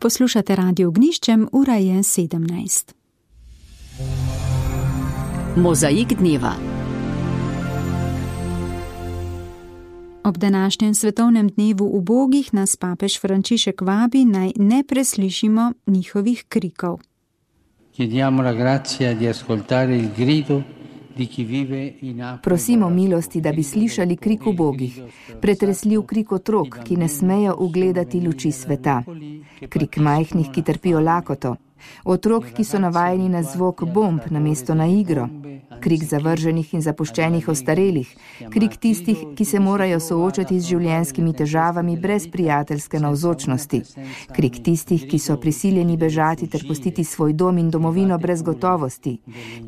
Poslušate Radio Ognjiščem, ura je 17. Mozaik dneva. Ob današnjem svetovnem dnevu ubogih nas papež Frančišek vabi, naj ne preslišimo njihovih krikov. Prosimo milosti, da bi slišali krik ubogih, pretresljiv krik otrok, ki ne smejo ugledati luči sveta, krik majhnih, ki trpijo lakoto, otrok, ki so navajeni na zvok bomb namesto na igro, krik zavrženih in zapuščenih ostarelih, krik tistih, ki se morajo soočati z življenjskimi težavami brez prijateljske navzočnosti, krik tistih, ki so prisiljeni bežati ter pustiti svoj dom in domovino brez gotovosti,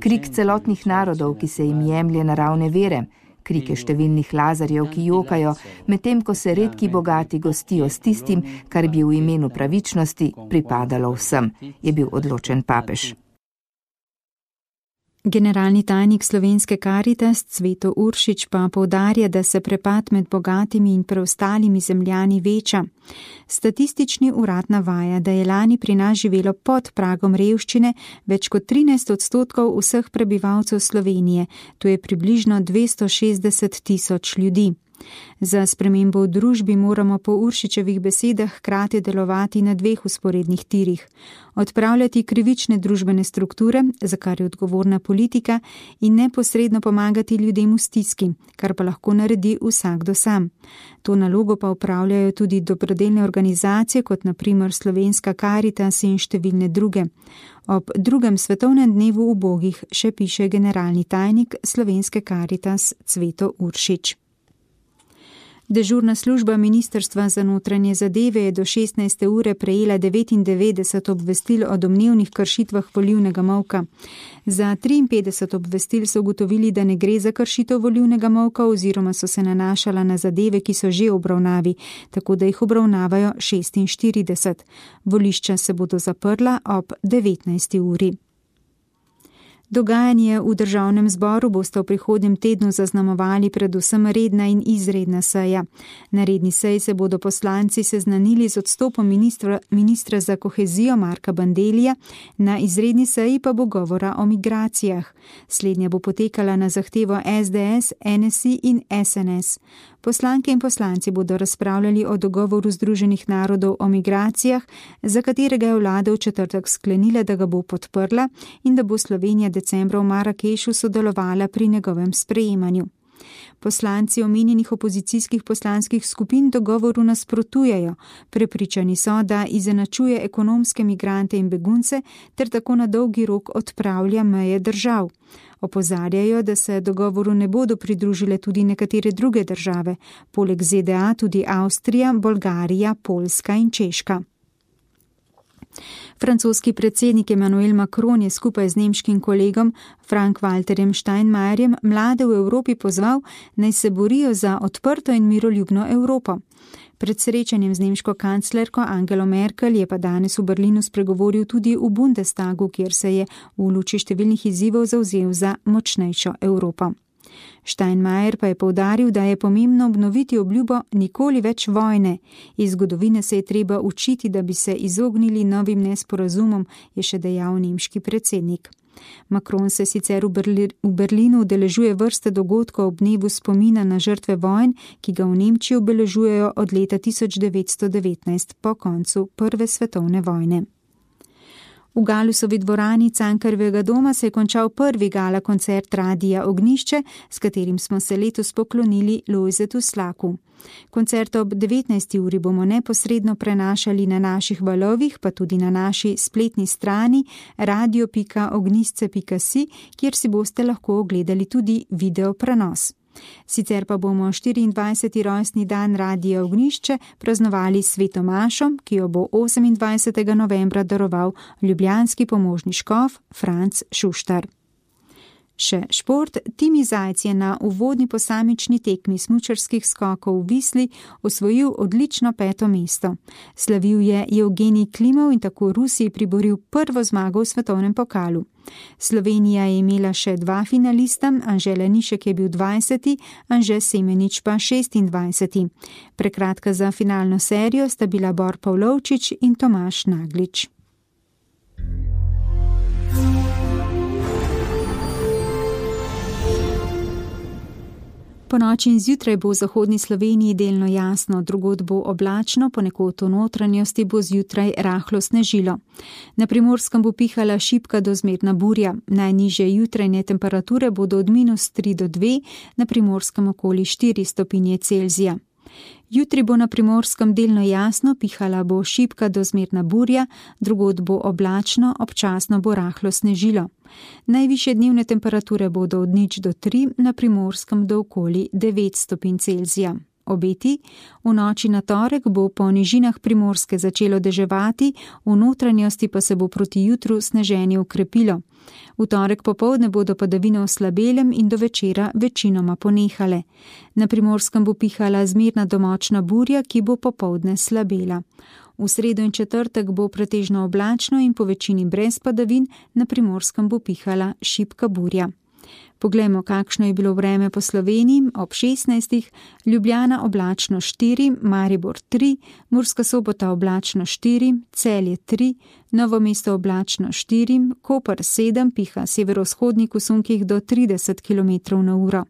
krik celotnih narodov, ki se jim jemlje naravne vere, krike številnih Lazarjev, ki jokajo, medtem ko se redki bogati gostijo s tistim, kar bi v imenu pravičnosti pripadalo vsem, je bil odločen papež. Generalni tajnik slovenske Karitas Cveto Uršič pa poudarja, da se prepad med bogatimi in preostalimi zemljani veča. Statistični urad navaja, da je lani pri nas živelo pod pragom revščine več kot 13% vseh prebivalcev Slovenije, to je približno 260.000 ljudi. Za spremembo v družbi moramo po Uršičevih besedah hkrati delovati na dveh vzporednih tirih. Odpravljati krivične družbene strukture, za kar je odgovorna politika, in neposredno pomagati ljudem v stiski, kar pa lahko naredi vsakdo sam. To nalogo pa upravljajo tudi dobrodelne organizacije, kot na primer Slovenska Karitas in številne druge. Ob drugem svetovnem dnevu ubogih še piše generalni tajnik Slovenske Karitas Cveto Uršič. Dežurna služba Ministrstva za notranje zadeve je do 16. ure prejela 99 obvestil o domnevnih kršitvah volilnega molka. Za 53 obvestil so ugotovili, da ne gre za kršitev volilnega molka oziroma so se nanašala na zadeve, ki so že v obravnavi, tako da jih obravnavajo 46. Volišča se bodo zaprla ob 19. uri. Dogajanje v državnem zboru boste v prihodnjem tednu zaznamovali predvsem redna in izredna seja. Na redni seji se bodo poslanci seznanili z odstopom ministra za kohezijo Marka Bandellija, na izredni seji pa bo govora o migracijah. Slednja bo potekala na zahtevo SDS, NSI in SNS. Poslanke in poslanci bodo razpravljali o dogovoru Združenih narodov o migracijah, za katerega je vlada v četrtek sklenila, da ga bo podprla in da bo Slovenija decembra v Marakešu sodelovala pri njegovem sprejemanju. Poslanci omenjenih opozicijskih poslanskih skupin dogovoru nasprotujejo. Prepričani so, da izenačuje ekonomske migrante in begunce ter tako na dolgi rok odpravlja meje držav. Opozarjajo, da se dogovoru ne bodo pridružile tudi nekatere druge države, poleg ZDA tudi Avstrija, Bolgarija, Poljska in Češka. Francoski predsednik Emmanuel Macron je skupaj z nemškim kolegom Frank-Walterjem Steinmeierjem mlade v Evropi pozval, naj se borijo za odprto in miroljubno Evropo. Pred srečanjem z nemško kanclerko Angelo Merkel je pa danes v Berlinu spregovoril tudi v Bundestagu, kjer se je v luči številnih izzivov zavzel za močnejšo Evropo. Steinmeier pa je poudaril, da je pomembno obnoviti obljubo nikoli več vojne. Iz zgodovine se je treba učiti, da bi se izognili novim nesporazumom, je še dejal nemški predsednik. Macron se sicer v Berlinu udeležuje vrste dogodkov ob dnevu spomina na žrtve vojn, ki ga v Nemčiji obeležujejo od leta 1919 po koncu Prve svetovne vojne. V Galusovi dvorani Cankarjevega doma se je končal prvi gala koncert Radia Ognjišče, s katerim smo se letos poklonili Lojzetu Slaku. Koncert ob 19. uri bomo neposredno prenašali na naših valovih, pa tudi na naši spletni strani radio.ognjišče.si, kjer si boste lahko ogledali tudi video prenos. Sicer pa bomo 24. rojstni dan Radia Ognjišče praznovali s Sveto mašo, ki jo bo 28. novembra daroval ljubljanski pomožni škof Franc Šuštar. Še šport, Timi Zajc je na uvodni posamični tekmi smučarskih skokov v Visli osvojil odlično 5. mesto. Slavil je Evgenij Klimov in tako Rusiji priboril prvo zmago v svetovnem pokalu. Slovenija je imela še 2 finalista, Anže Lanišek je bil 20., Anže Semenič pa 26. Prekratka za finalno serijo sta bila Bor Pavlovčič in Tomaž Naglič. Po noči in zjutraj bo v zahodni Sloveniji delno jasno, drugod bo oblačno, ponekod v notranjosti bo zjutraj rahlo snežilo. Na Primorskem bo pihala šibka do zmerna burja. Najnižje jutrajne temperature bodo od -3 do 2, na Primorskem okoli 4 stopinje Celzija. Jutri bo na Primorskem delno jasno, pihala bo šibka do zmerna burja, drugod bo oblačno, občasno bo rahlo snežilo. Najvišje dnevne temperature bodo od 0 do 3, na Primorskem do okoli 9 stopinj Celzija. Obeti: v noči na torek bo po nižinah Primorske začelo deževati, v notranjosti pa se bo proti jutru sneženje ukrepilo. V torek popoldne bodo padavine v slabelem in do večera večinoma ponehale. Na Primorskem bo pihala zmerna do močna burja, ki bo popoldne slabela. V sredo in četrtek bo pretežno oblačno in po večini brez padavin, na Primorskem bo pihala šibka burja. Poglejmo, kakšno je bilo vreme po Sloveniji. Ob 16. Ljubljana oblačno 4, Maribor 3, Murska Sobota oblačno 4, Celje 3, Novo mesto oblačno 4, Koper 7, piha severovzhodnik v sunkih do 30 km/h.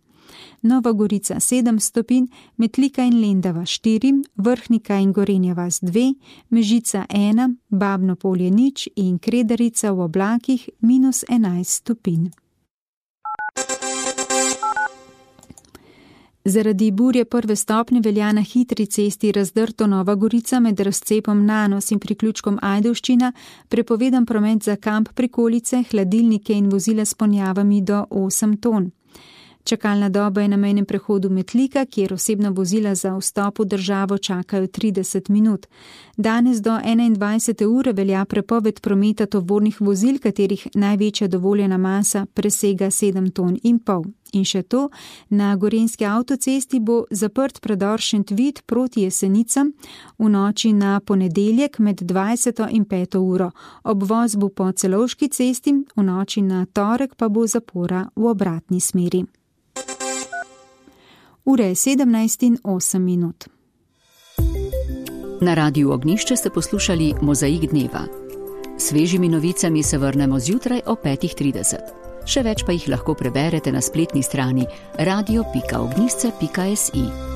Nova Gorica 7 stopinj, Metlika in Lendava 4, Vrhnika in Gorenja vas 2, Mežica 1, Babno Polje 0 in Kredarica v oblakih -11 stopinj. Zaradi burje 1. stopnje velja na hitri cesti Razdrto Nova Gorica med razcepom Nanos in priključkom Ajdovščina prepovedan promet za kamp prikolice, hladilnike in vozila s ponjavami do 8 ton. Čakalna doba je na mejnem prehodu Metlika, kjer osebna vozila za vstop v državo čakajo 30 minut. Danes do 21. ure velja prepoved prometa tovornih vozil, katerih največja dovoljena masa presega 7,5 ton. In še to, na gorenjski avtocesti bo zaprt predor Šentvid proti Jesenicam v noči na ponedeljek med 20. in 5. uro. Obvoz bo po Celovški cesti, v noči na torek pa bo zapora v obratni smeri. Ura je 17:08. Na Radiu Ognjišče ste poslušali Mozaik dneva. Svežimi novicami se vrnemo zjutraj o 5:30. Še več pa jih lahko preberete na spletni strani radio.ognjišče.si.